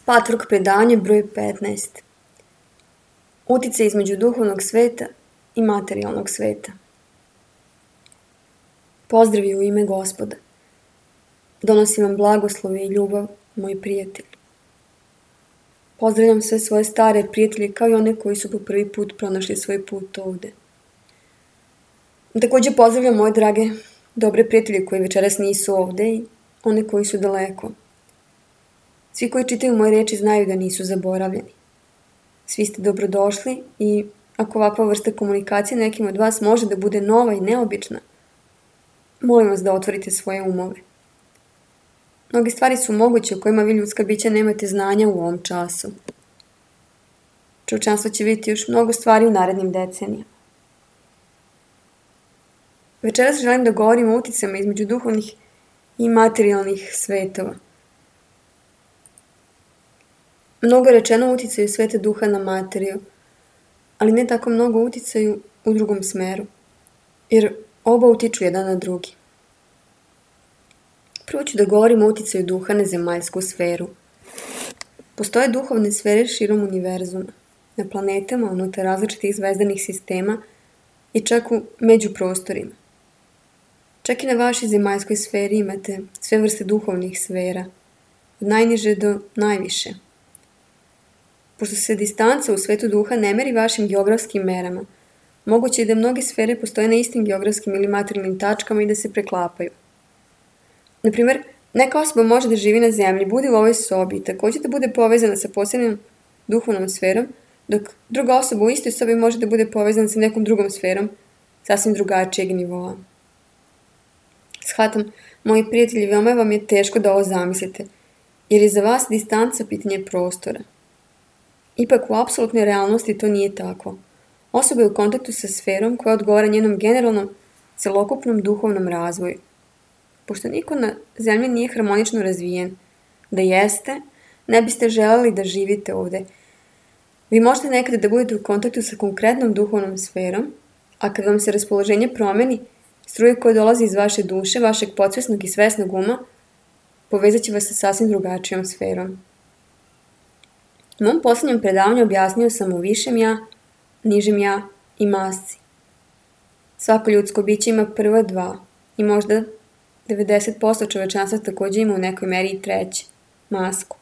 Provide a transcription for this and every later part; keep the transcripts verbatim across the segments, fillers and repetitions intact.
Patvork predavanje broj petnaest. Uticaj između duhovnog sveta i materijalnog sveta. Pozdravi u ime Gospoda. Donosim vam blagoslovi i ljubav, moji prijatelji. Pozdravljam sve svoje stare prijatelje kao i one koji su po prvi put pronašli svoj put ovde. Također pozdravljam moje drage, dobre prijatelje koji večeras nisu ovde i one koji su daleko. Svi koji čitaju moje reči znaju da nisu zaboravljeni. Svi ste dobrodošli i ako ovakva vrsta komunikacije nekim od vas može da bude nova i neobična, molim vas da otvorite svoje umove. Mnoge stvari su moguće o kojima vi ljudska bića nemate znanja u ovom času. Čovječanstvo će vidjeti još mnogo stvari u narednim decenijama. Večeras želim da govorim o uticama između duhovnih i materijalnih svetova. Mnogo je rečeno o uticaju sveta duha na materiju, ali ne tako mnogo o uticaju u drugom smeru, jer oba utiču jedan na drugi. Prvo ću da govorim o uticaju duha na zemaljsku sferu. Postoje duhovne sfere širom univerzuma, na planetama, unutar različitih zvezdanih sistema i čak u međuprostorima. Čak i na vašoj zemaljskoj sferi imate sve vrste duhovnih sfera, od najniže do najviše. Pošto se distanca u svetu duha ne meri vašim geografskim merama, moguće je da mnoge sfere postoje na istim geografskim ili materijalnim tačkama i da se preklapaju. Naprimjer, neka osoba može da živi na zemlji, bude u ovoj sobi i također da bude povezana sa posebnom duhovnom sferom, dok druga osoba u istoj sobi može da bude povezana sa nekom drugom sferom, sasvim drugačijeg nivoa. Shvatam, moji prijatelji, veoma vam je teško da ovo zamislite, jer je za vas distanca pitanje prostora. Ipak u apsolutnoj realnosti to nije tako. Osoba je u kontaktu sa sferom koja odgovara njenom generalnom, celokupnom duhovnom razvoju. Pošto niko na zemlji nije harmonično razvijen, da jeste, ne biste želeli da živite ovde. Vi možete nekada da budete u kontaktu sa konkretnom duhovnom sferom, a kad vam se raspoloženje promeni, struje koje dolazi iz vaše duše, vašeg podsvesnog i svesnog uma, povezat će vas sa sasvim drugačijom sferom. U mom posljednjem predavanju objasnio sam o višem ja, nižem ja i masci. Svako ljudsko biće ima prva dva i možda devedeset posto čovečanstva također ima u nekoj meri i treće, masku.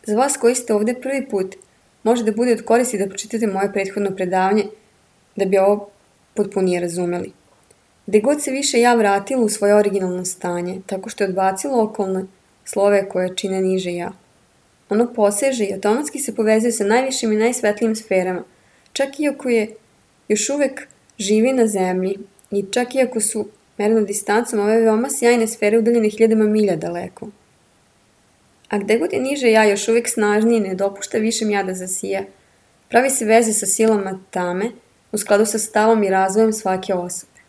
Za vas koji ste ovde prvi put, može da bude od koristi da pročitate moje prethodno predavanje da bi ovo potpunije razumeli. Gde god se više ja vratilo u svoje originalno stanje, tako što je odbacilo okolne slove koje čine niže ja. Ono poseže i automatski se povezuje sa najvišim i najsvetlijim sferama, čak iako je još uvek živi na zemlji i čak iako su mereno distancom ove veoma sjajne sfere udaljene hiljadama milja daleko. A gde god je niže ja još uvek snažniji ne dopušta višem ja da zasija, pravi se veze sa silama tame u skladu sa stavom i razvojem svake osobe.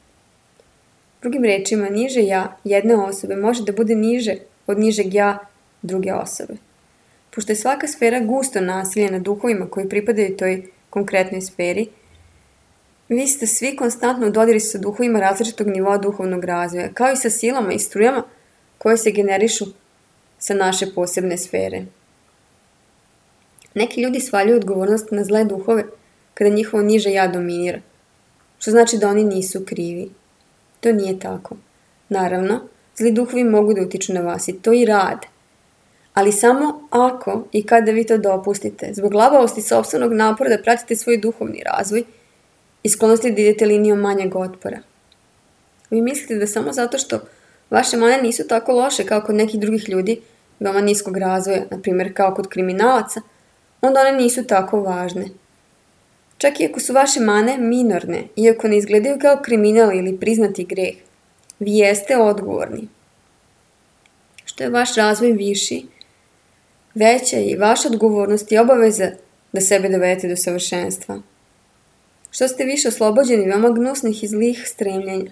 Drugim rečima, niže ja jedne osobe može da bude niže od nižeg ja druge osobe. Pošto je svaka sfera gusto nasiljena duhovima koji pripadaju toj konkretnoj sferi, vi ste svi konstantno u dodiru sa duhovima različitog nivoa duhovnog razvoja, kao i sa silama i strujama koje se generišu sa naše posebne sfere. Neki ljudi svaljuju odgovornost na zle duhove kada njihovo niže ja dominira, što znači da oni nisu krivi. To nije tako. Naravno, zli duhovi mogu da utiču na vas i to i rade. Ali samo ako i kada vi to dopustite, zbog labavosti sopstvenog napora da pratite svoj duhovni razvoj i sklonosti da idete linijom manjeg otpora. Vi mislite da samo zato što vaše mane nisu tako loše kao kod nekih drugih ljudi, veoma niskog razvoja, na primjer kao kod kriminalaca, onda one nisu tako važne. Čak i ako su vaše mane minorne, iako ne izgledaju kao kriminal ili priznati greh, vi jeste odgovorni. Što je vaš razvoj viši, veća je i vaša odgovornost i obaveza da sebe dovedete do savršenstva. Što ste više oslobođeni veoma gnusnih i zlih stremljenja,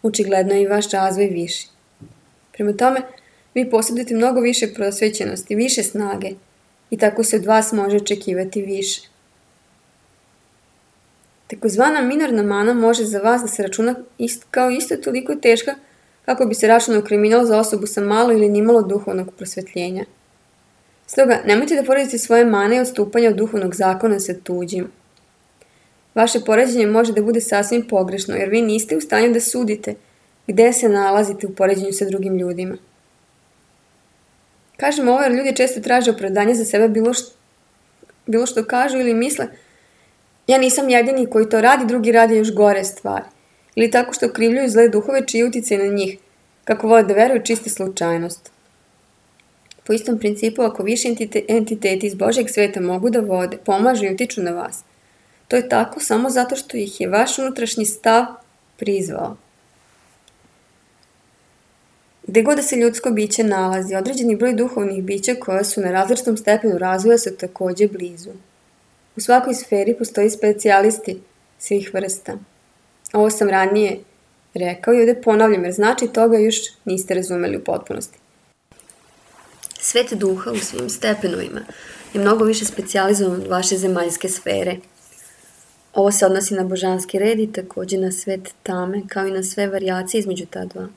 očigledno je i vaš razvoj viši. Prema tome, vi posjedujete mnogo više prosvećenosti, više snage i tako se od vas može očekivati više. Takozvana minorna mana može za vas da se računa ist, kao isto toliko teška kako bi se računao kriminal za osobu sa malo ili nimalo duhovnog prosvetljenja. Stoga, nemojte da poredite svoje mane i odstupanja od duhovnog zakona sa tuđim. Vaše poređenje može da bude sasvim pogrešno, jer vi niste u stanju da sudite gde se nalazite u poređenju sa drugim ljudima. Kažem ovo jer ljudi često traže opravdanje za sebe bilo što, bilo što kažu ili misle ja nisam jedini koji to radi, drugi radi još gore stvari. Ili tako što okrivljuju zle duhove čiji uticaj na njih, kako vole da veruju čiste slučajnost. Po istom principu, ako više entiteti iz Božjeg sveta mogu da vode, pomažu i utiču na vas, to je tako samo zato što ih je vaš unutrašnji stav prizvao. Gde god da se ljudsko biće nalazi, određeni broj duhovnih bića koja su na različitom stepenu razvoja su takođe blizu. U svakoj sferi postoji specijalisti svih vrsta. Ovo sam ranije rekao i ovde ponavljam jer znači toga još niste razumeli u potpunosti. Svet duha u svim stepenovima je mnogo više specijalizovan od vaše zemaljske sfere. Ovo se odnosi na božanski red i takođe na svet tame, kao i na sve varijacije između ta dva.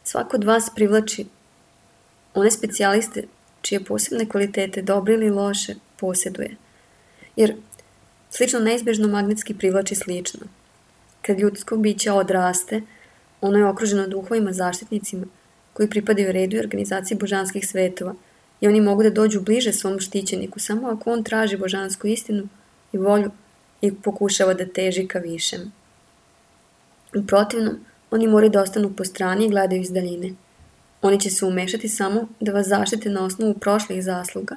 Svako od vas privlači one specijaliste čije posebne kvalitete, dobre ili loše, posjeduje. Jer slično neizbežno magnetski privlači slično. Kad ljudsko biće odraste, ono je okruženo duhovima zaštitnicima koji pripadaju redu i organizaciji božanskih svetova i oni mogu da dođu bliže svom štićeniku samo ako on traži božansku istinu i volju i pokušava da teži ka višem. U protivnom, oni moraju da ostanu po strani i gledaju iz daljine. Oni će se umešati samo da vas zaštite na osnovu prošlih zasluga,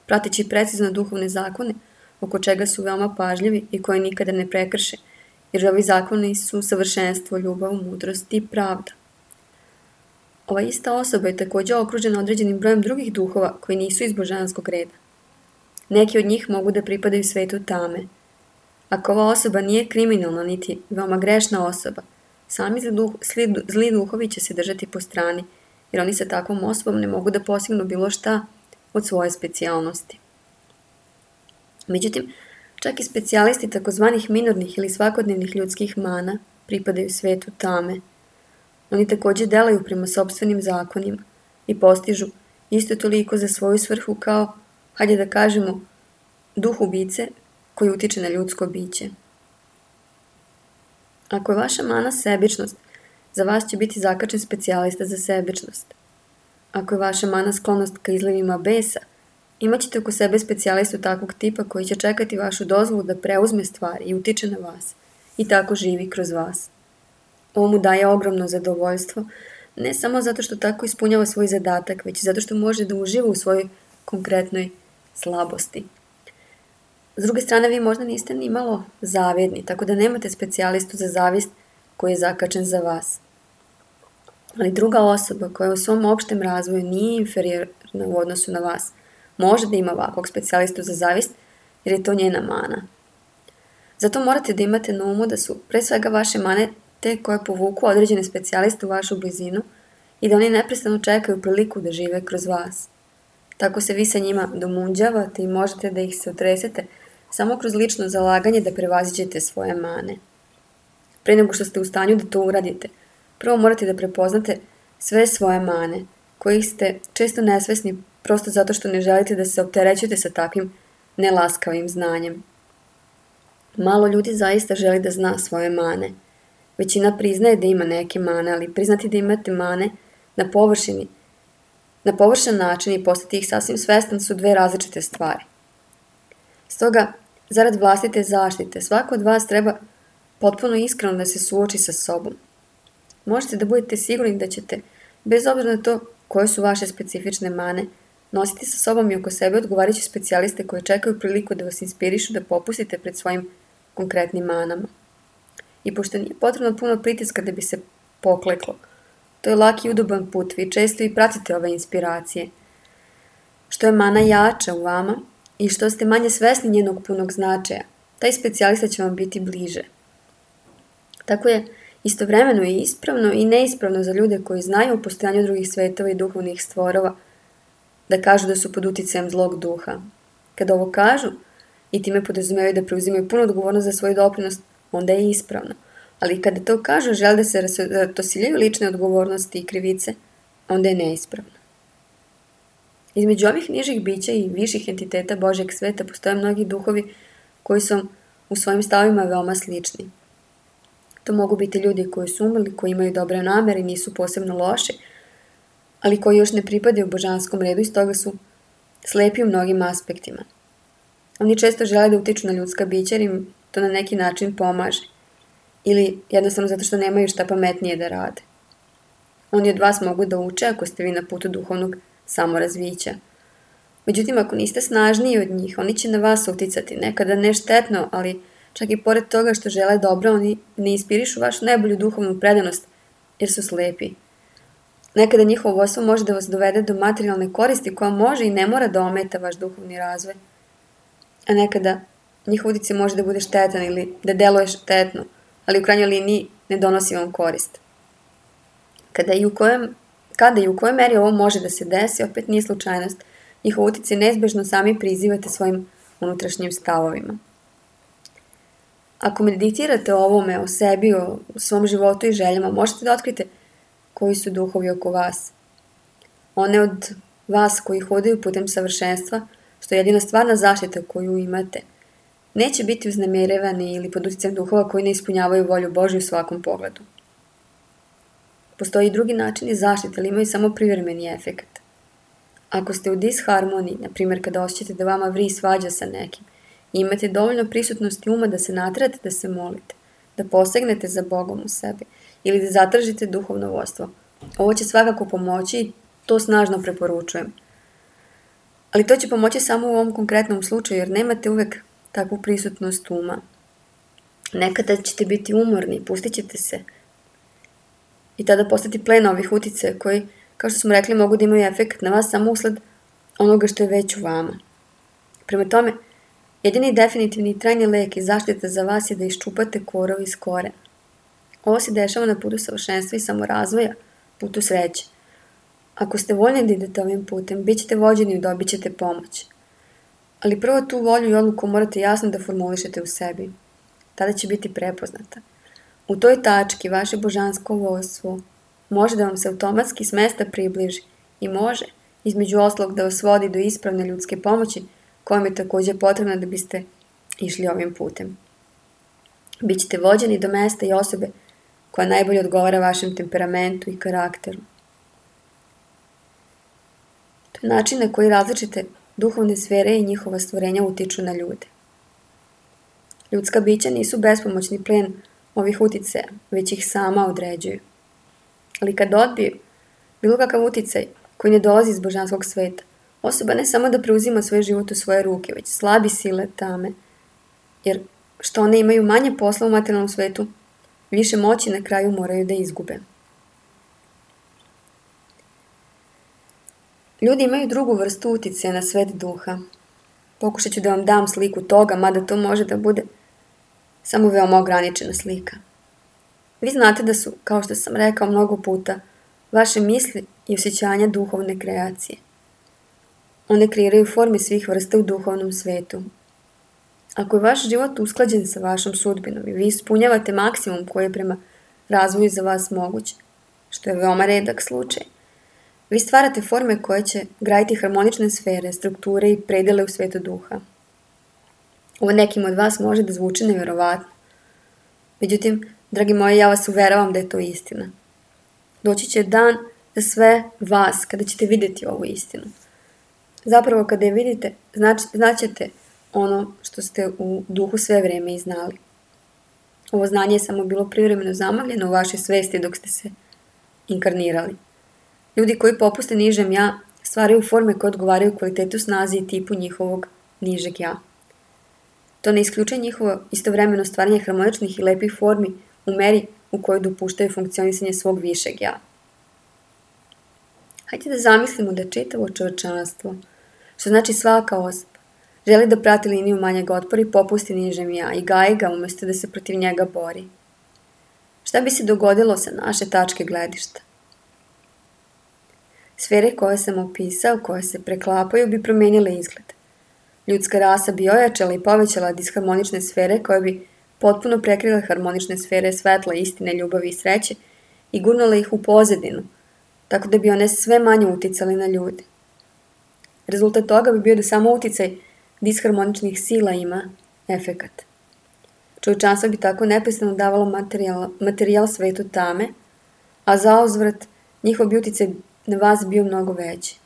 prateći precizno duhovne zakone, oko čega su veoma pažljivi i koje nikada ne prekrše, jer ovi zakoni su savršenstvo, ljubav, mudrost i pravda. Ova ista osoba je takođe okružena određenim brojem drugih duhova koji nisu iz božanskog reda. Neki od njih mogu da pripadaju svetu tame. Ako ova osoba nije kriminalna niti veoma grešna osoba, sami zli, duh, zli duhovi će se držati po strani, jer oni sa takvom osobom ne mogu da postignu bilo šta od svoje specijalnosti. Međutim, čak i specijalisti takozvanih minornih ili svakodnevnih ljudskih mana pripadaju svetu tame. Oni takođe delaju prema sopstvenim zakonima i postižu isto toliko za svoju svrhu kao, hajde da kažemo, duh ubice koji utiče na ljudsko biće. Ako je vaša mana sebičnost, za vas će biti zakačen specijalista za sebičnost. Ako je vaša mana sklonost ka izlivima besa, imaćete oko sebe specijalistu takvog tipa koji će čekati vašu dozvolu da preuzme stvari i utiče na vas i tako živi kroz vas. Ovo mu daje ogromno zadovoljstvo, ne samo zato što tako ispunjava svoj zadatak, već i zato što može da uživa u svojoj konkretnoj slabosti. S druge strane, vi možda niste ni malo zavidni, tako da nemate specijalistu za zavist koji je zakačen za vas. Ali druga osoba koja u svom opštem razvoju nije inferiorna u odnosu na vas, može da ima ovakvog specijalistu za zavist, jer je to njena mana. Zato morate da imate na umu da su pre svega vaše mane te koje povuku određene specijaliste u vašu blizinu i da oni neprestano čekaju priliku da žive kroz vas. Tako se vi sa njima domunđavate i možete da ih se otresete samo kroz lično zalaganje da prevaziđete svoje mane. Pre nego što ste u stanju da to uradite, prvo morate da prepoznate sve svoje mane, kojih ste često nesvesni prosto zato što ne želite da se opterećujete sa takvim nelaskavim znanjem. Malo ljudi zaista želi da zna svoje mane. Većina priznaje da ima neke mane, ali priznati da imate mane na površini, na površan način i postati ih sasvim svestan su dve različite stvari. Stoga, zarad vlastite zaštite, svako od vas treba potpuno iskreno da se suoči sa sobom. Možete da budete sigurni da ćete, bez obzira na to koje su vaše specifične mane, nositi sa sobom i oko sebe odgovarajuće specijaliste koje čekaju priliku da vas inspirišu da popustite pred svojim konkretnim manama. I pošto nije potrebno puno pritiska da bi se pokleklo, to je lak i udoban put, vi često i pratite ove inspiracije. Što je mana jača u vama i što ste manje svesni njenog punog značaja, taj specijalista će vam biti bliže. Tako je istovremeno i ispravno i neispravno za ljude koji znaju o postojanju drugih svetova i duhovnih stvorova da kažu da su pod uticajem zlog duha. Kada ovo kažu i time podrazumevaju da preuzimaju punu odgovornost za svoj doprinos, onda je ispravno. Ali kada to kažu žele da se ratosiljaju lične odgovornosti i krivice, onda je neispravno. Između ovih nižih bića i viših entiteta Božjeg sveta postoje mnogi duhovi koji su u svojim stavima veoma slični. To mogu biti ljudi koji su umrli, koji imaju dobre namere i nisu posebno loši, ali koji još ne pripadaju božanskom redu i stoga su slepi u mnogim aspektima. Oni često žele da utiču na ljudska bića jer im to na neki način pomaže. Ili jednostavno zato što nemaju šta pametnije da rade. Oni od vas mogu da uče ako ste vi na putu duhovnog samorazvića. Međutim, ako niste snažniji od njih, oni će na vas uticati, nekada ne štetno, ali čak i pored toga što žele dobro, oni ne inspirišu vašu najbolju duhovnu predanost jer su slepi. Nekada njihovo vodstvo može da vas dovede do materijalne koristi koja može i ne mora da ometa vaš duhovni razvoj. A nekada njihov uticaj može da bude štetan ili da deluje štetno, ali u krajnjoj liniji ne donosi vam korist. Kada i u kojem, kada i u kojoj meri ovo može da se desi, opet nije slučajnost. Njihov uticaj neizbežno sami prizivate svojim unutrašnjim stavovima. Ako meditirate o ovome, o sebi, o svom životu i željama, možete da otkrite koji su duhovi oko vas. One od vas koji hodaju putem savršenstva, što je jedina stvarna zaštita koju imate, neće biti uznemirevani ili pod uticajem duhova koji ne ispunjavaju volju Božju u svakom pogledu. Postoji i drugi način zaštite, ali imaju samo privremeni efekat. Ako ste u disharmoniji, na primjer kada osjećate da vama vri svađa sa nekim, i imate dovoljno prisutnosti uma da se naterate da se molite, da posegnete za Bogom u sebi ili da zatražite duhovno vodstvo. Ovo će svakako pomoći i to snažno preporučujem. Ali to će pomoći samo u ovom konkretnom slučaju jer nemate uvek takvu prisutnost uma. Nekada ćete biti umorni, pustit ćete se i tada postati plen ovih uticaja koji, kao što smo rekli, mogu da imaju efekt na vas samo usled onoga što je već u vama. Prema tome, jedini definitivni i trajni lek i zaštita za vas je da iščupate korov iz korena. Ovo se dešava na putu savršenstva i samorazvoja, putu sreće. Ako ste voljni da idete ovim putem, bit ćete vođeni i dobit ćete pomoć. Ali prvo tu volju i odluku morate jasno da formulišete u sebi. Tada će biti prepoznata. U toj tački vaše božansko vodstvo može da vam se automatski s mesta približi i može, između ostalog, da vas vodi do ispravne ljudske pomoći koja je također potrebna da biste išli ovim putem. Bićete vođeni do mesta i osobe koja najbolje odgovara vašem temperamentu i karakteru. To je način na koji različite duhovne sfere i njihova stvorenja utiču na ljude. Ljudska bića nisu bespomoćni plen ovih uticaja, već ih sama određuju. Ali kad odbiju bilo kakav uticaj koji ne dolazi iz božanskog sveta, osoba ne samo da preuzima svoj život u svoje ruke, već slabi sile tame, jer što one imaju manje posla u materijalnom svetu, više moći na kraju moraju da izgube. Ljudi imaju drugu vrstu uticaja na svet duha. Pokušat ću da vam dam sliku toga, mada to može da bude samo veoma ograničena slika. Vi znate da su, kao što sam rekao mnogo puta, vaše misli i osjećanja duhovne kreacije. One kreiraju forme svih vrsta u duhovnom svetu. Ako je vaš život usklađen sa vašom sudbinom i vi ispunjavate maksimum koji je prema razvoju za vas moguć, što je veoma redak slučaj, vi stvarate forme koje će graditi harmonične sfere, strukture i predele u svetu duha. Ovo nekim od vas može da zvuči nevjerovatno. Međutim, dragi moji, ja vas uveravam da je to istina. Doći će dan za sve vas kada ćete vidjeti ovu istinu. Zapravo kada je vidite, znači, znaćete ono što ste u duhu sve vrijeme i znali. Ovo znanje je samo bilo privremeno zamagljeno u vašoj svesti dok ste se inkarnirali. Ljudi koji popuste nižem ja stvaraju forme koje odgovaraju kvalitetu, snazi i tipu njihovog nižeg ja. To ne isključuje njihovo istovremeno stvaranje harmoničnih i lepih formi u meri u kojoj dopuštaju funkcionisanje svog višeg ja. Hajde da zamislimo da čitavo čovječanstvo, što znači svaka osoba, želi da prati liniju manjeg otpora i popusti nižem ja i gaji ga umjesto da se protiv njega bori. Šta bi se dogodilo sa naše tačke gledišta? Sfere koje sam opisao, koje se preklapaju, bi promijenile izgled. Ljudska rasa bi ojačala i povećala disharmonične sfere koje bi potpuno prekrile harmonične sfere svetla, istine, ljubavi i sreće i gurnula ih u pozadinu, tako da bi one sve manje uticali na ljude. Rezultat toga bi bio da samo uticaj disharmoničnih sila ima efekat. Čovječanstvo bi tako neprestano davalo materijal, materijal svetu tame, a zauzvrat njihov bi uticaj na vas bio mnogo veći.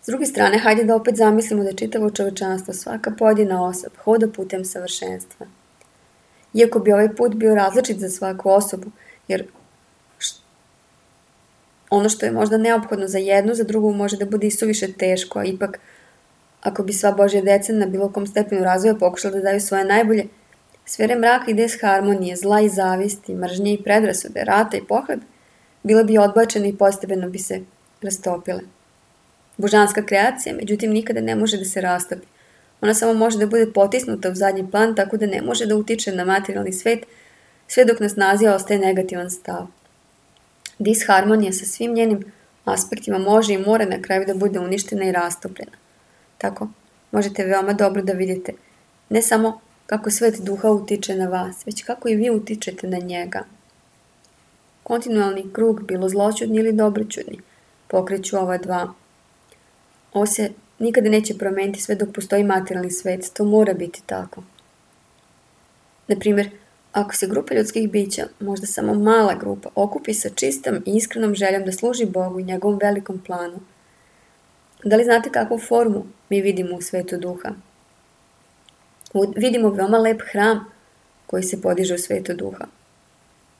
S druge strane, hajde da opet zamislimo da čitavo čovječanstvo, svaka pojedina osoba, hoda putem savršenstva. Iako bi ovaj put bio različit za svaku osobu, jer ono što je možda neophodno za jednu, za drugu može da bude i suviše teško, a ipak, ako bi sva Božja deca na bilo kom stepenu razvoja pokušala da daju svoje najbolje, sfere mraka i disharmonije, zla i zavisti, mržnje i predrasude, rata i pohled, bile bi odbačene i postepeno bi se rastopile. Božanska kreacija, međutim, nikada ne može da se rastopi. Ona samo može da bude potisnuta u zadnji plan, tako da ne može da utiče na materijalni svet, sve dok na snazi ostaje negativan stav. Disharmonija sa svim njenim aspektima može i mora na kraju da bude uništena i rastopljena. Tako, možete veoma dobro da vidite ne samo kako svet duha utiče na vas, već kako i vi utičete na njega. Kontinualni krug, bilo zloćudni ili dobroćudni, pokreću ova dva. Ovo se nikada neće promeniti sve dok postoji materijalni svet, to mora biti tako. Naprimjer, ako se grupa ljudskih bića, možda samo mala grupa, okupi sa čistom i iskrenom željom da služi Bogu i njegovom velikom planu, da li znate kakvu formu mi vidimo u svetu duha? Vidimo veoma lep hram koji se podiže u svetu duha.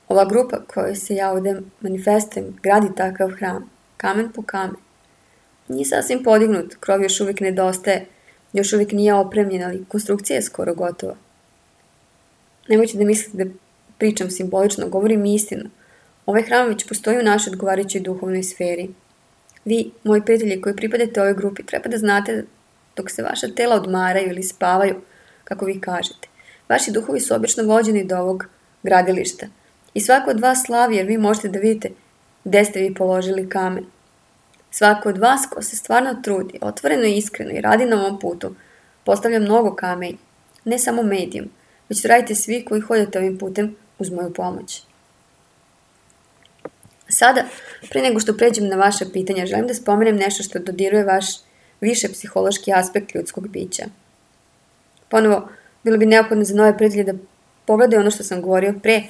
Ova grupa kojoj se ja ovdje manifestujem gradi takav hram, kamen po kamen. Nije sasvim podignut, krov još uvijek nedostaje, još uvijek nije opremljen, ali konstrukcija je skoro gotova. Nemojte da mislite da pričam simbolično, govorim istinu. Ovaj hram već postoji u našoj odgovarajućoj duhovnoj sferi. Vi, moji prijatelji koji pripadate ovoj grupi, treba da znate dok se vaša tela odmaraju ili spavaju, kako vi kažete. Vaši duhovi su obično vođeni do ovog gradilišta. I svako od vas slavi jer vi možete da vidite gde ste vi položili kamen. Svako od vas ko se stvarno trudi, otvoreno i iskreno i radi na ovom putu, postavlja mnogo kamenja. Ne samo medijum, već to radite svi koji hodate ovim putem uz moju pomoć. Sada, pre nego što pređem na vaše pitanja, želim da spomenem nešto što dodiruje vaš više psihološki aspekt ljudskog bića. Ponovo, bilo bi neophodno za nove prijatelje da pogledaju ono što sam govorio pre,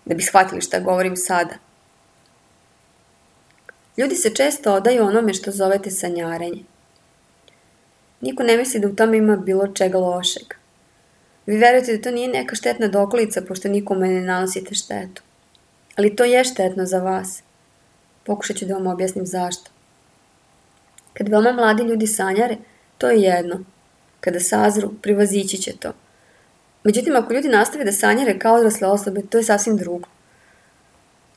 da bi shvatili šta govorim sada. Ljudi se često odaju onome što zovete sanjarenje. Niko ne misli da u tome ima bilo čega lošeg. Vi verujete da to nije neka štetna dokolica, pošto nikome ne nanosite štetu. Ali to je štetno za vas. Pokušat ću da vam objasnim zašto. Kad veoma mladi ljudi sanjare, to je jedno. Kada sazru, privazići će to. Međutim, ako ljudi nastave da sanjare kao odrasle osobe, to je sasvim drugo.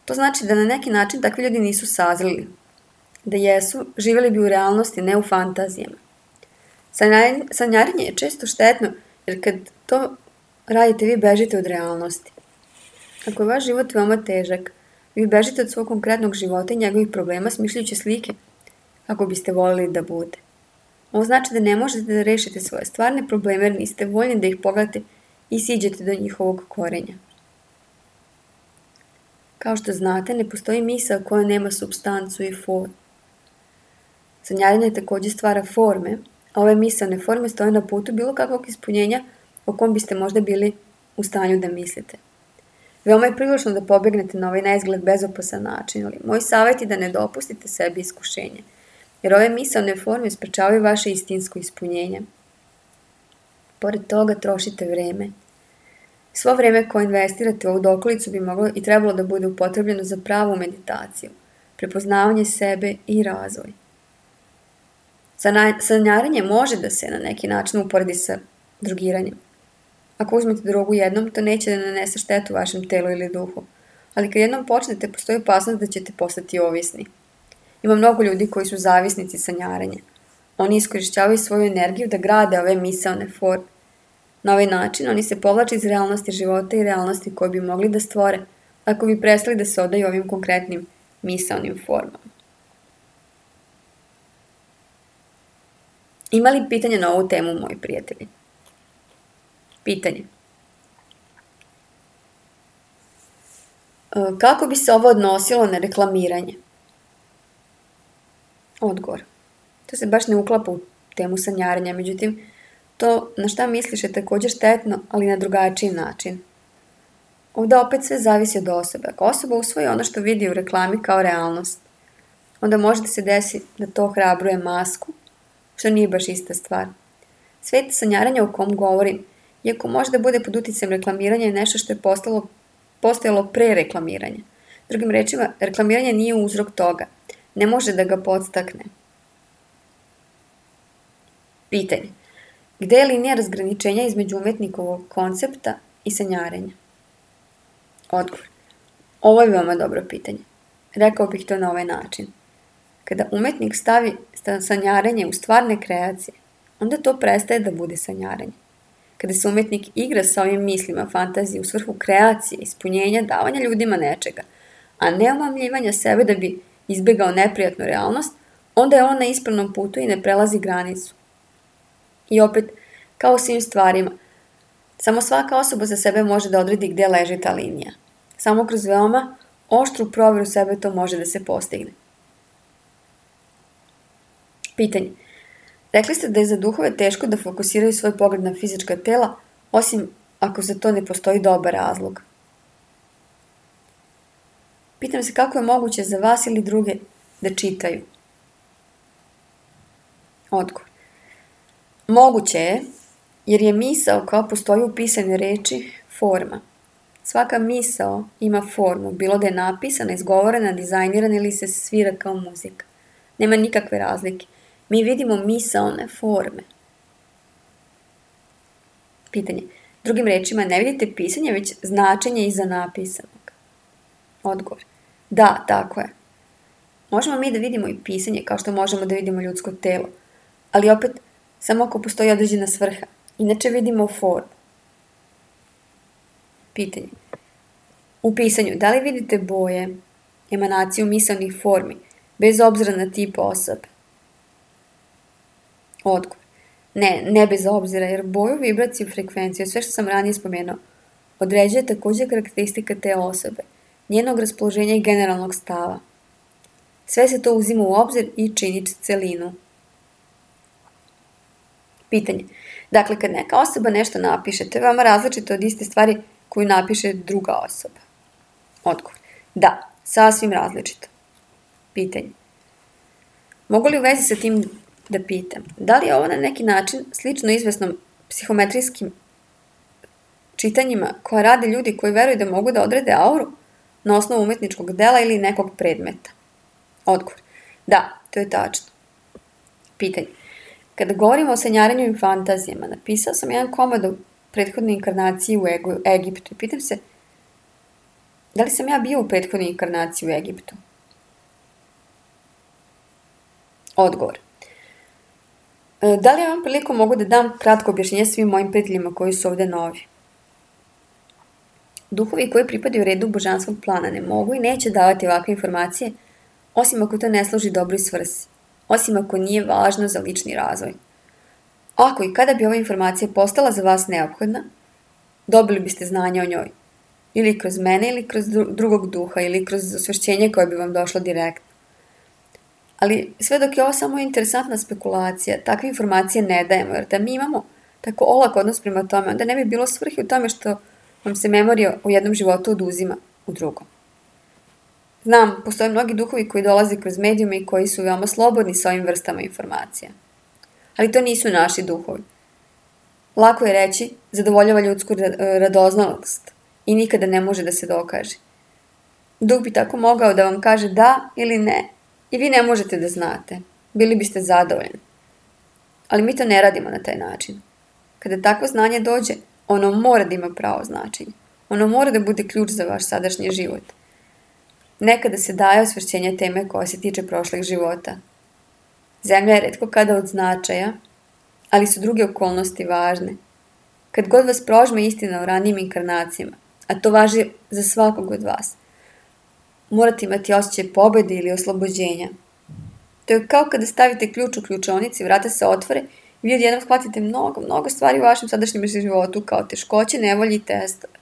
To znači da na neki način takvi ljudi nisu sazreli. Da jesu, živjeli bi u realnosti, ne u fantazijama. Sanjarenje je često štetno, jer kad to radite, vi bežite od realnosti. Ako je vaš život veoma težak, vi bežite od svog konkretnog života i njegovih problema smišljajući slike, kako biste voljeli da bude. Ovo znači da ne možete da rešite svoje stvarne probleme, jer niste voljni da ih pogledate i siđete do njihovog korenja. Kao što znate, ne postoji misao koja nema supstancu i formu. Sanjarenje također stvara forme, a ove misaone forme stoje na putu bilo kakvog ispunjenja o kom biste možda bili u stanju da mislite. Veoma je prilično da pobegnete na ovaj neizgled bezopasan način, ali moj savjet je da ne dopustite sebi iskušenje, jer ove misaone forme sprečavaju vaše istinsko ispunjenje. Pored toga trošite vreme. Svo vreme koje investirate u ovu dokolicu bi moglo i trebalo da bude upotrebljeno za pravu meditaciju, prepoznavanje sebe i razvoj. Sanjarenje može da se na neki način uporedi sa drogiranjem. Ako uzmete drogu jednom, to neće da nanese štetu vašem telu ili duhu, ali kad jednom počnete, postoji opasnost da ćete postati ovisni. Ima mnogo ljudi koji su zavisnici sanjarenja. Oni iskorišćavaju svoju energiju da grade ove misaone forme. Na ovaj način oni se povlače iz realnosti života i realnosti koje bi mogli da stvore ako bi prestali da se odaju ovim konkretnim misaonim formama. Ima li pitanja na ovu temu, moji prijatelji? Pitanje. Kako bi se ovo odnosilo na reklamiranje? Odgovor. To se baš ne uklapa u temu sanjarenja, međutim, to na šta misliš je također štetno, ali na drugačiji način. Ovdje opet sve zavisi od osobe. Ako osoba usvoji ono što vidi u reklami kao realnost, onda može da se desi da to hrabruje masku, što nije baš ista stvar. Svet sanjaranja o kom govorim, iako može da bude pod uticajem reklamiranja, je nešto što je postalo, postojalo pre reklamiranja. Drugim rečima, reklamiranje nije uzrok toga. Ne može da ga podstakne. Pitanje. Gde je linija razgraničenja između umetnikovog koncepta i sanjarenja? Odgovor. Ovo je veoma dobro pitanje. Rekao bih to na ovaj način. Kada umetnik stavi sanjarenje u stvarne kreacije, onda to prestaje da bude sanjarenje. Kada se umetnik igra sa ovim mislima, fantazije u svrhu kreacije, ispunjenja, davanja ljudima nečega, a ne omamljivanja sebe da bi izbegao neprijatnu realnost, onda je on na ispravnom putu i ne prelazi granicu. I opet, kao u svim stvarima, samo svaka osoba za sebe može da odredi gde leži ta linija. Samo kroz veoma oštru provjeru sebe to može da se postigne. Pitanje. Rekli ste da je za duhove teško da fokusiraju svoj pogled na fizička tela, osim ako za to ne postoji dobar razlog. Pitam se kako je moguće za vas ili druge da čitaju. Odgovor. Moguće je, jer je misao koja postoji u pisane reči forma. Svaka misao ima formu, bilo da je napisana, izgovorena, dizajnirana ili se svira kao muzika. Nema nikakve razlike. Mi vidimo misaone forme. Pitanje. Drugim rečima, ne vidite pisanje, već značenje iza napisanog. Odgovor. Da, tako je. Možemo mi da vidimo i pisanje kao što možemo da vidimo ljudsko telo, ali opet samo ako postoji određena svrha. Inače vidimo formu. Pitanje. U pisanju, da li vidite boje, emanaciju misaonih formi, bez obzira na tip osobe? Odgovor. Ne, ne bez obzira, jer boju, vibraciju, frekvenciju, sve što sam ranije spomenuo, određuje također karakteristika te osobe, njenog raspoloženja i generalnog stava. Sve se to uzima u obzir i čini celinu. Pitanje. Dakle, kad neka osoba nešto napiše, to je veoma različito od iste stvari koju napiše druga osoba. Odgovor. Da, sasvim različito. Pitanje. Mogu li u vezi sa tim da pitam, da li je ovo na neki način slično izvesnom psihometrijskim čitanjima koja rade ljudi koji veruju da mogu da odrede auru na osnovu umetničkog dela ili nekog predmeta? Odgovor. Da, to je tačno. Pitanje. Kada govorimo o sanjaranju i fantazijama, napisao sam jedan komad o prethodnoj inkarnaciji u Egiptu i pitam se, da li sam ja bio u prethodnoj inkarnaciji u Egiptu? Odgovor. Da li ja vam priliku mogu da dam kratko objašnjenje svim mojim prijateljima koji su ovdje novi? Duhovi koji pripadaju redu božanskog plana ne mogu i neće davati ovakve informacije, osim ako to ne služi dobroj svrsi, osim ako nije važno za lični razvoj. Ako i kada bi ova informacija postala za vas neophodna, dobili biste znanje o njoj, ili kroz mene, ili kroz drugog duha, ili kroz osvešćenje koje bi vam došlo direktno. Ali sve dok je ovo samo interesantna spekulacija, takve informacije ne dajemo, jer da mi imamo tako olak odnos prema tome, onda ne bi bilo svrhe u tome što vam se memorija u jednom životu oduzima u drugom. Znam, postoje mnogi duhovi koji dolaze kroz medijume i koji su veoma slobodni sa ovim vrstama informacija. Ali to nisu naši duhovi. Lako je reći, zadovoljava ljudsku radoznalost i nikada ne može da se dokaže. Duh bi tako mogao da vam kaže da ili ne, i vi ne možete da znate. Bili biste zadovoljni. Ali mi to ne radimo na taj način. Kada takvo znanje dođe, ono mora da ima pravo značenje. Ono mora da bude ključ za vaš sadašnji život. Nekada se daje osvešćenje teme koja se tiče prošlih života. Zemlja je retko kada od značaja, ali su druge okolnosti važne. Kad god vas prožme istina o ranijim inkarnacijama, a to važi za svakog od vas, morate imati osjećaj pobjede ili oslobođenja. To je kao kada stavite ključ u ključaonici, vrata se otvore i vi odjednom shvatite mnogo, mnogo stvari u vašem sadašnjem životu, kao teškoće, nevolje i testove.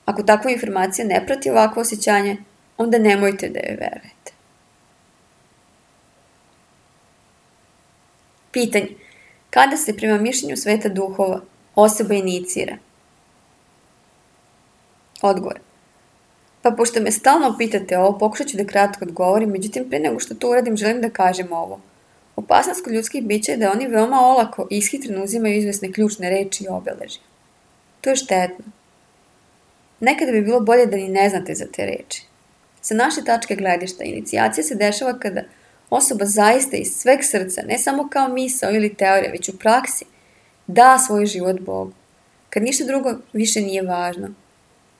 Ako takva informacija ne prati ovakvo osjećanje, onda nemojte da joj verujete. Pitanje. Kada se prema mišljenju sveta duhova osoba inicira? Odgovor. Pa pošto me stalno pitate ovo, pokušat ću da kratko odgovorim, međutim pre nego što to uradim želim da kažem ovo. Opasnost kod ljudskih bića je da oni veoma olako i ishitreno uzimaju izvesne ključne reči i obeležja. To je štetno. Nekada bi bilo bolje da ni ne znate za te reči. Sa naše tačke gledišta, inicijacija se dešava kada osoba zaista iz sveg srca, ne samo kao misao ili teorija, već u praksi, da svoj život Bogu. Kad ništa drugo više nije važno.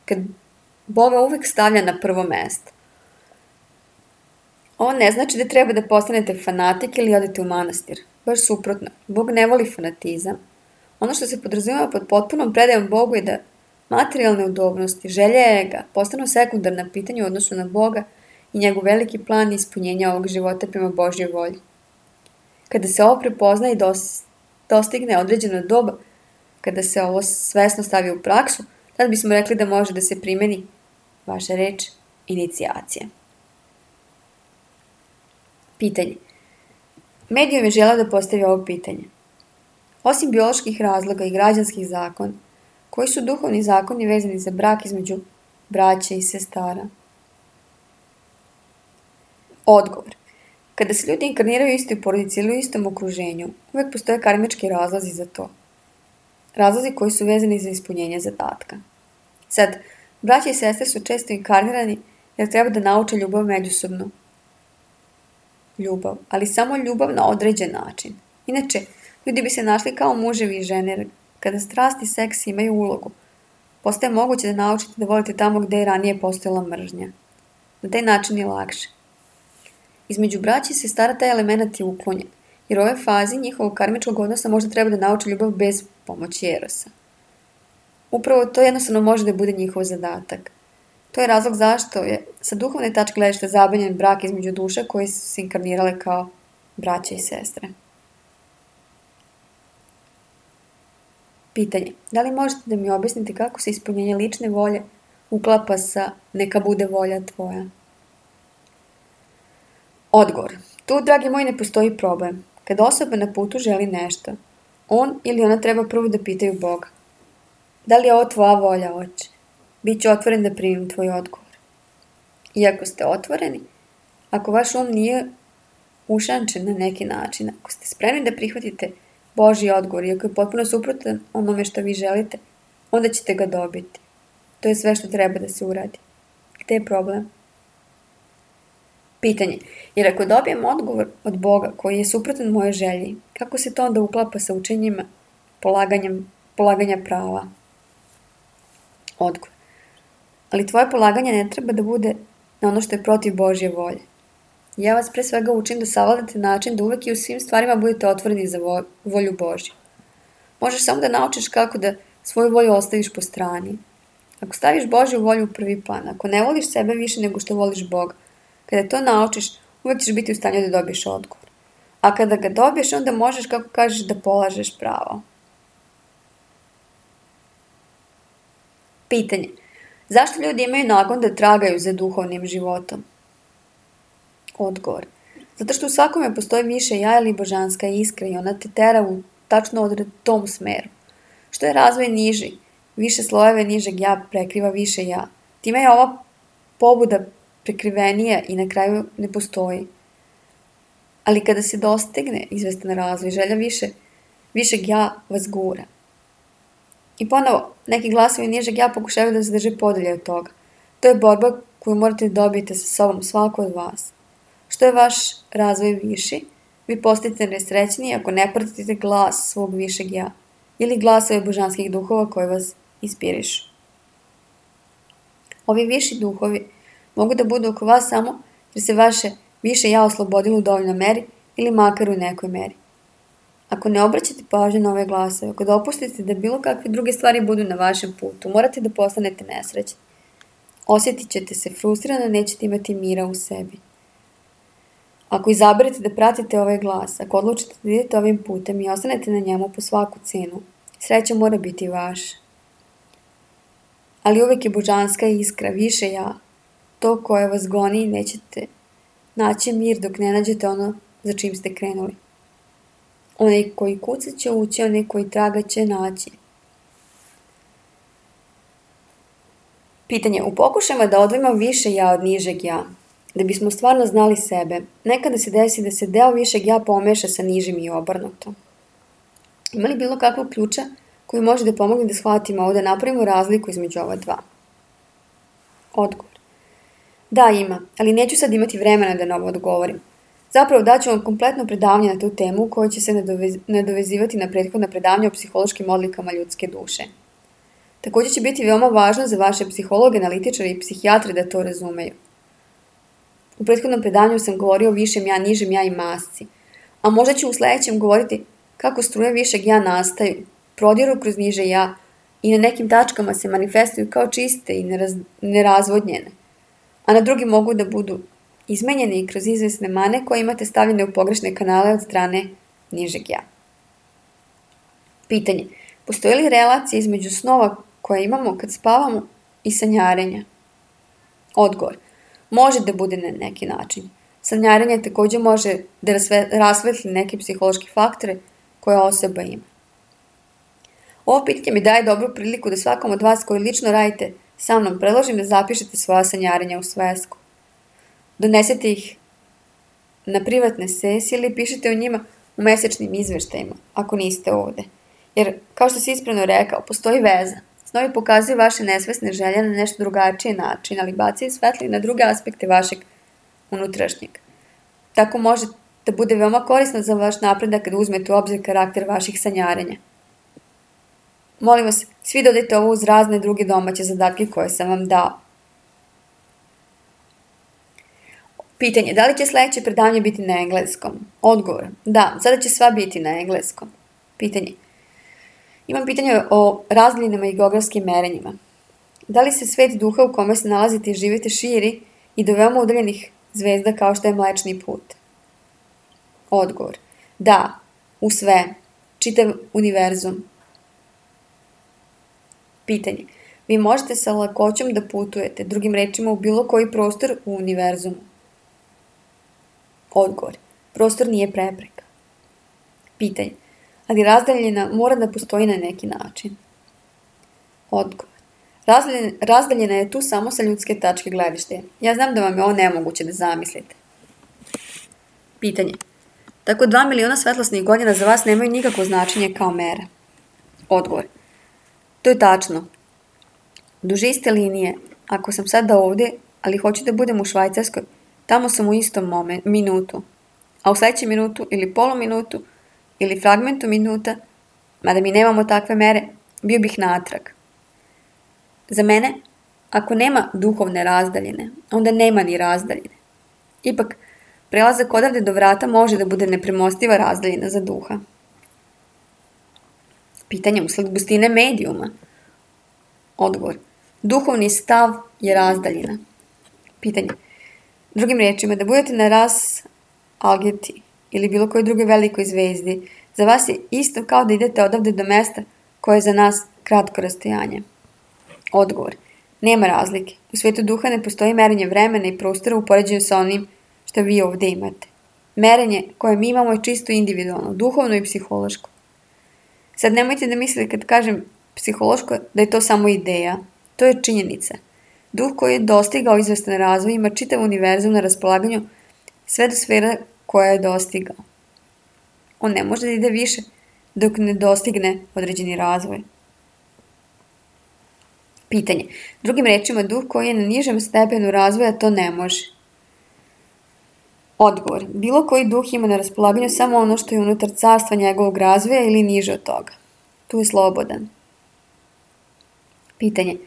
Kad Boga uvek stavlja na prvo mesto. Ovo ne znači da treba da postanete fanatik ili odete u manastir. Baš suprotno. Bog ne voli fanatizam. Ono što se podrazumeva pod potpunom predajom Bogu je da materijalne udobnosti, želje ega postanu sekundarna pitanja u odnosu na Boga i njegov veliki plan ispunjenja ovog života prema Božjoj volji. Kada se ovo prepozna i dostigne određeno doba, kada se ovo svesno stavi u praksu, tad bismo rekli da može da se primeni vaša reč inicijacija. Pitanje. Medijum je želeo da postavi ovo pitanje. Osim bioloških razloga i građanskih zakona, koji su duhovni zakoni vezani za brak između braće i sestara? Odgovor. Kada se ljudi inkarniraju u istoj porodici ili u istom okruženju, uvek postoje karmički razlozi za to. Razlozi koji su vezani za ispunjenje zadatka. Sad, braće i sestre su često inkarnirani jer treba da nauče ljubav međusobno. Ljubav, ali samo ljubav na određen način. Inače, ljudi bi se našli kao muževi i žene, jer kada strast i seks imaju ulogu, postaje moguće da naučite da volite tamo gde je ranije postojala mržnja. Na taj način je lakše. Između braća i sestara taj element je uklonjen, jer u ovoj fazi njihovog karmičkog odnosa možda treba da nauče ljubav bez pomoći erosa. Upravo to jednostavno može da bude njihov zadatak. To je razlog zašto je sa duhovne tačke gledišta zabranjen brak između duša koje su se inkarnirale kao braća i sestre. Pitanje. Da li možete da mi objasnite kako se ispunjenje lične volje uklapa sa neka bude volja tvoja? Odgovor. Tu, dragi moji, ne postoji problem. Kada osoba na putu želi nešto, on ili ona treba prvo da pitaju Boga. Da li je ovo tvoja volja, oče? Biću otvoren da primim tvoj odgovor. Iako ste otvoreni, ako vaš um nije ušančen na neki način, ako ste spremni da prihvatite Božji odgovor, iako je potpuno suprotan onome što vi želite, onda ćete ga dobiti. To je sve što treba da se uradi. Gde je problem? Pitanje. Jer ako dobijem odgovor od Boga koji je suprotan moje želji, kako se to onda uklapa sa učenjima polaganjem, polaganja prava? Odgovor. Ali tvoje polaganje ne treba da bude na ono što je protiv Božje volje. Ja vas pre svega učim da savladate način da uvek i u svim stvarima budete otvoreni za volju Božju. Možeš samo da naučiš kako da svoju volju ostaviš po strani. Ako staviš Božju volju u prvi plan, ako ne voliš sebe više nego što voliš Boga, kada to naučiš, uvek ćeš biti u stanju da dobiješ odgovor. A kada ga dobiješ, onda možeš, kako kažeš, da polažeš pravo. Pitanje. Zašto ljudi imaju nagon da tragaju za duhovnim životom? Odgovor. Zato što u svakome postoji više ja ili božanska iskra i ona te tera u tačno odred tom smeru. Što je razvoj niži, više slojeve nižeg ja prekriva više ja. Time je ova pobuda prekrivenija i na kraju ne postoji. Ali kada se dostigne izvestan razvoj, želja više, višeg ja vas gura. I ponovo, neki glasovi nižeg ja pokušavaju da se drže podalje od toga. To je borba koju morate da dobijete sa sobom, svako od vas. Što je vaš razvoj viši, vi postajete nesrećniji ako ne pratite glas svog višeg ja ili glasove božanskih duhova koji vas inspirišu. Ovi viši duhovi mogu da budu oko vas samo jer se vaše više ja oslobodilo u dovoljnoj meri ili makar u nekoj meri. Ako ne obraćate pažnju na ove glasove, ako dopustite da bilo kakve druge stvari budu na vašem putu, morate da postanete nesrećni. Osjetit ćete se frustrirano, nećete imati mira u sebi. Ako izaberete da pratite ovaj glas, ako odlučite da idete ovim putem i ostanete na njemu po svaku cenu, sreća mora biti vaša. Ali uvek je božanska iskra, više ja, to koje vas goni i nećete naći mir dok ne nađete ono za čim ste krenuli. Onaj koji kuca će ući, onaj koji traga će naći. Pitanje. U pokušajima da odvojimo više ja od nižeg ja, da bismo stvarno znali sebe, nekada se desi da se deo višeg ja pomeša sa nižim i obrnuto. Ima li bilo kakvog ključa koji može da pomogne da shvatimo ovo, da napravimo razliku između ova dva? Odgovor. Da, ima, ali neću sad imati vremena da na ovo odgovorim. Zapravo daću vam kompletno predavanje na tu temu koje će se nadovez, nadovezivati na prethodna predavanja o psihološkim odlikama ljudske duše. Također će biti veoma važno za vaše psihologe, analitičare i psihijatre da to razumeju. U prethodnom predavanju sam govorio o višem ja, nižem ja i masci, a možda ću u sljedećem govoriti kako struje višeg ja nastaju, prodiru kroz niže ja i na nekim tačkama se manifestuju kao čiste i neraz, nerazvodnjene, a na drugim mogu da budu izmenjene i kroz izvesne mane koje imate stavljene u pogrešne kanale od strane nižeg ja. Pitanje. Postoji li relacija između snova koje imamo kad spavamo i sanjarenja? Odgovor. Može da bude na neki način. Sanjarenje također može da rasvetli neke psihološke faktore koje osoba ima. Ovo pitanje mi daje dobru priliku da svakom od vas koji lično radite sa mnom predložim da zapišete svoja sanjarenja u svesku. Donesete ih na privatne sesije ili pišete o njima u mesečnim izveštajima, ako niste ovde. Jer, kao što si ispravno rekao, postoji veza. Snovi pokazuju vaše nesvesne želje na nešto drugačiji način, ali bacaju svetlo i na druge aspekte vašeg unutrašnjeg. Tako može da bude veoma korisno za vaš napredak kada uzmete u obzir karakter vaših sanjarenja. Molim vas, svi dodajte ovo uz razne druge domaće zadatke koje sam vam dao. Pitanje, da li će sljedeće predavanje biti na engleskom? Odgovor, da, sada će sva biti na engleskom. Pitanje, imam pitanje o razdaljinama i geografskim merenjima. Da li se svet duha u kome se nalazite i živite širi i do veoma udaljenih zvezda kao što je Mlečni put? Odgovor, da, u sve, čitav univerzum. Pitanje, vi možete sa lakoćom da putujete, drugim rečima u bilo koji prostor u univerzumu? Odgovor, prostor nije prepreka. Pitanje, ali razdaljena mora da postoji na neki način? Odgovor, razdaljena, razdaljena je tu samo sa ljudske tačke gledišta. Ja znam da vam je ovo nemoguće da zamislite. Pitanje, tako dva miliona svetlosnih godina za vas nemaju nikakvo značenje kao mera? Odgovor, to je tačno. Duže iste linije, ako sam sada ovdje, ali hoću da budem u Švajcarskoj, tamo sam u istom moment, minutu, a u sljedećem minutu ili poluminutu ili fragmentu minuta, mada mi nemamo takve mere, bio bih natrag. Za mene, ako nema duhovne razdaljine, onda nema ni razdaljine. Ipak, prelazak odavde do vrata može da bude nepremostiva razdaljina za duha. Pitanje usled gustine medijuma. Odgovor. Duhovni stav je razdaljina. Pitanje. Drugim riječima, da budete na ras Algeti ili bilo kojoj drugoj velikoj zvezdi, za vas je isto kao da idete odavde do mesta koje je za nas kratko rastojanje. Odgovor. Nema razlike. U svijetu duha ne postoji merenje vremena i prostora u poređenju sa onim što vi ovdje imate. Merenje koje mi imamo je čisto individualno, duhovno i psihološko. Sad nemojte da mislite kad kažem psihološko da je to samo ideja. To je činjenica. Duh koji je dostigao izvestan razvoj ima čitav univerzum na raspolaganju sve do sfera koja je dostigao. On ne može da ide više dok ne dostigne određeni razvoj. Pitanje. Drugim rečima, duh koji je na nižem stepenu razvoja to ne može. Odgovor. Bilo koji duh ima na raspolaganju samo ono što je unutar carstva njegovog razvoja ili niže od toga. Tu je slobodan. Pitanje.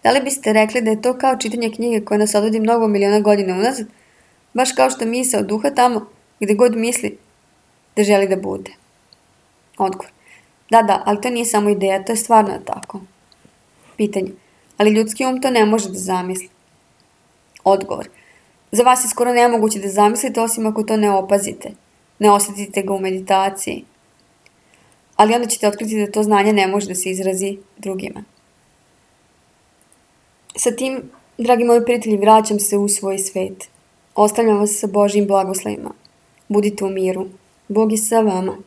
Da li biste rekli da je to kao čitanje knjige koja nas odvodi mnogo miliona godina unazad, baš kao što misao duha tamo gdje god misli da želi da bude? Odgovor. Da, da, ali to nije samo ideja, to je stvarno tako. Pitanje. Ali ljudski um to ne može da zamisli. Odgovor. Za vas je skoro nemoguće da zamislite osim ako to ne opazite, ne osjetite ga u meditaciji. Ali onda ćete otkriti da to znanje ne može da se izrazi drugima. Sa tim, dragi moji prijatelji, vraćam se u svoj svet. Ostavljam vas sa Božjim blagoslovima. Budite u miru. Bog je sa vama.